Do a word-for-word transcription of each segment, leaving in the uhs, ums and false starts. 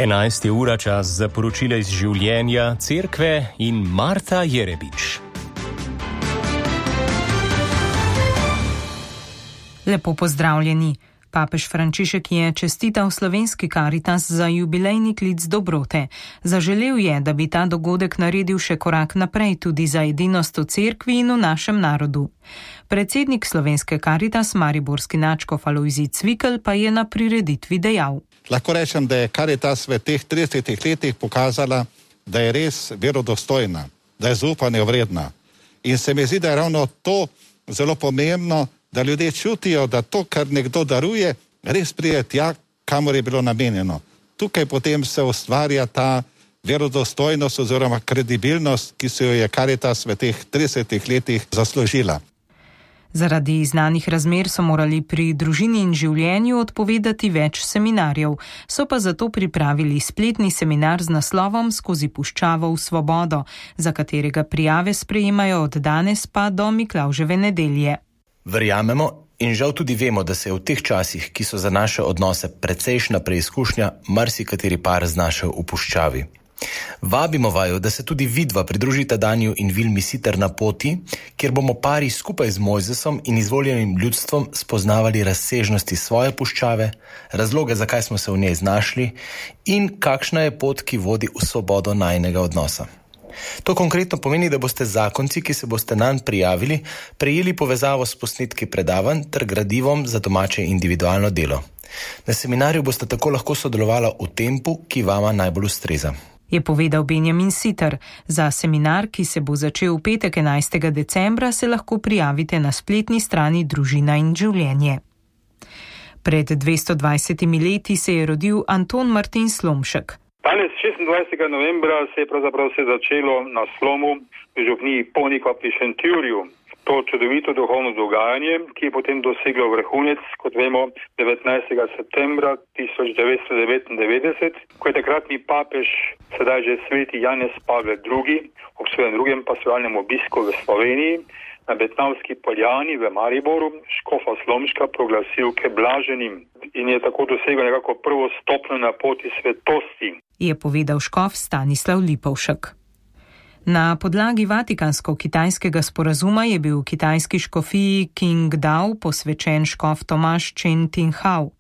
enajsta ura, čas za poročila iz življenja cerkve in Marta Jerebič. Lepo pozdravljeni. Papež Frančišek je čestital slovenski Karitas za jubilejni klic dobrote. Zaželel je, da bi ta dogodek naredil še korak naprej tudi za edinost v cerkvi in v našem narodu. Predsednik slovenske Karitas, mariborski nadškof Alojzij Cvikl, pa je na prireditvi dejal: Lahko rečem, da je Karitas v teh tridesetih letih pokazala, da je res verodostojna, da je zaupanja vredna. In se mi zdi, da je ravno to zelo pomembno, da ljudje čutijo, da to, kar nekdo daruje, res pride tja, kamor je bilo namenjeno. Tukaj potem se ustvarja ta verodostojnost oziroma kredibilnost, ki se jo je Karitas v teh tridesetih letih zaslužila. Zaradi znanih razmer so morali pri družini in življenju odpovedati več seminarjev, so pa zato pripravili spletni seminar z naslovom Skozi puščavo v svobodo, za katerega prijave sprejemajo od danes pa do Miklavževe nedelje. Verjamemo in žal tudi vemo, da se je v teh časih, ki so za naše odnose precejšna preizkušnja, marsikateri par znašel v puščavi. Vabimo vaju, da se tudi vidva pridružita Daniju in Vilmi Siter na poti, kjer bomo pari skupaj z Mojzesom in izvoljenim ljudstvom spoznavali razsežnosti svoje puščave, razloge, zakaj smo se v njej znašli in kakšna je pot, ki vodi v svobodo najinega odnosa. To konkretno pomeni, da boste zakonci, ki se boste nanj prijavili, prejeli povezavo s posnetki predavanj ter gradivom za domače individualno delo. Na seminarju boste tako lahko sodelovala v tempu, ki vama najbolj ustreza. Je povedal Benjamin Siter. Za seminar, ki se bo začel v petek enajstega decembra, se lahko prijavite na spletni strani Družina in življenje. Pred dvesto dvajsetimi leti se je rodil Anton Martin Slomšek. Danes, šestindvajsetega novembra, se je pravzaprav se začelo na Slomu v župniji Ponikva pri Šentjurju. To čudovito duhovno dogajanje, ki je potem doseglo vrhunec, kot vemo, devetnajstega septembra tisoč devetsto devetindevetdeset, ko je takratni papež, sedaj že sveti Janez Pavel drugi, ob svojem drugem pastovalnem obisku v Sloveniji, na Betnavski poljani v Mariboru škofa Slomška proglasil ke blaženim in je tako dosegel nekako prvo stopnjo na poti svetosti. Je povedal škof Stanislav Lipovšek. Na podlagi vatikansko-kitajskega sporazuma je bil v kitajski škofiji Qingdao posvečen škof Tomaž Chen Tinghao.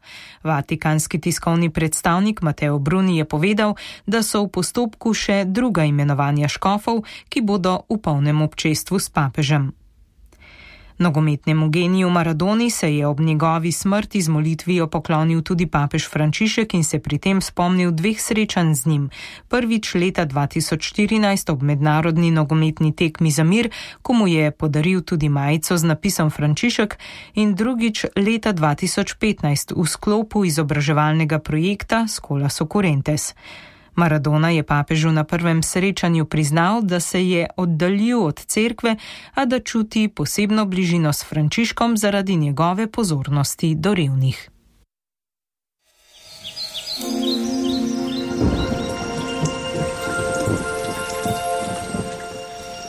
Vatikanski tiskovni predstavnik Mateo Bruni je povedal, da so v postopku še druga imenovanja škofov, ki bodo v polnem občestvu s papežem. Nogometnemu geniju Maradoni se je ob njegovi smrti z molitvijo poklonil tudi papež Frančišek in se pri tem spomnil dveh srečanj z njim. Prvič leta dva tisoč štirinajst ob mednarodni nogometni tekmi za mir, ko mu je podaril tudi majico z napisom Frančišek, in drugič leta dva tisoč petnajst v sklopu izobraževalnega projekta Scholas Occurrentes. Maradona je papežu na prvem srečanju priznal, da se je oddaljil od cerkve, a da čuti posebno bližino s Frančiškom zaradi njegove pozornosti do revnih.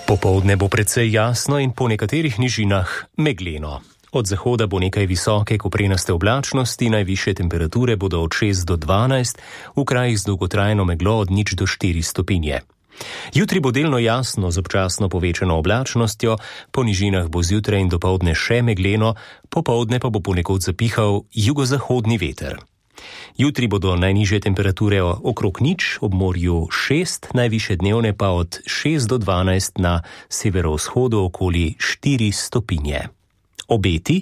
Popoldne bo precej jasno in po nekaterih nižinah megleno. Od zahoda bo nekaj visoke koprenaste oblačnosti, najvišje temperature bodo od šest do dvanajst, v krajih z dolgotrajno meglo od nič do štiri stopinje. Jutri bo delno jasno z občasno povečano oblačnostjo, po nižinah bo zjutraj in dopoldne še megleno, popoldne pa bo ponekod zapihal jugozahodni veter. Jutri bodo najnižje temperature okrog nič, ob morju šest, najvišje dnevne pa od šest do dvanajst, na severovzhodu okoli štiri stopinje. Obeti.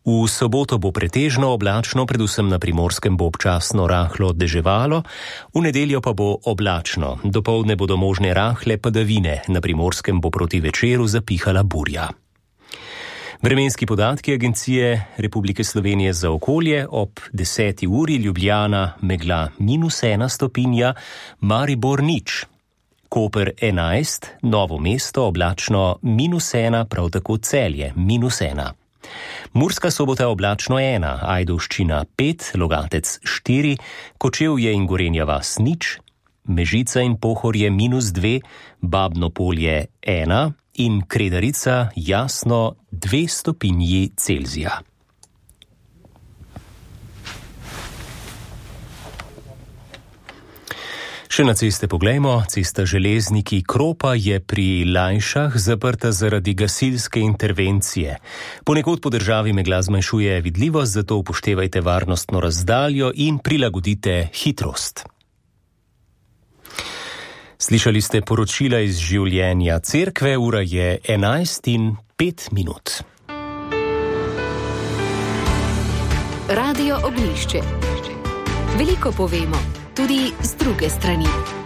V soboto bo pretežno oblačno, predvsem na Primorskem bo občasno rahlo deževalo, v nedeljo pa bo oblačno, dopoldne bodo možne rahle padavine, na Primorskem bo proti večeru zapihala burja. Vremenski podatki Agencije Republike Slovenije za okolje: ob deseti uri Ljubljana megla minus ena stopinja, Maribor nič. Koper enajst, Novo mesto oblačno minus ena, prav tako Celje minus ena. Murska Sobota oblačno ena, Ajdovščina pet, Logatec štiri, Kočevje in Gorenja vas nič, Mežica in Pohorje minus dve, Babno Polje ena in Kredarica jasno dve stopinji Celzija. Še na ceste poglejmo. Cesta Železniki Kropa je pri Lajšah zaprta zaradi gasilske intervencije. Ponekod po državi megla zmanjšuje vidljivost, zato upoštevajte varnostno razdaljo in prilagodite hitrost. Slišali ste poročila iz življenja cerkve, ura je enajst in pet minut. Radio Oglišče. Veliko povemo, tudi z druge strani.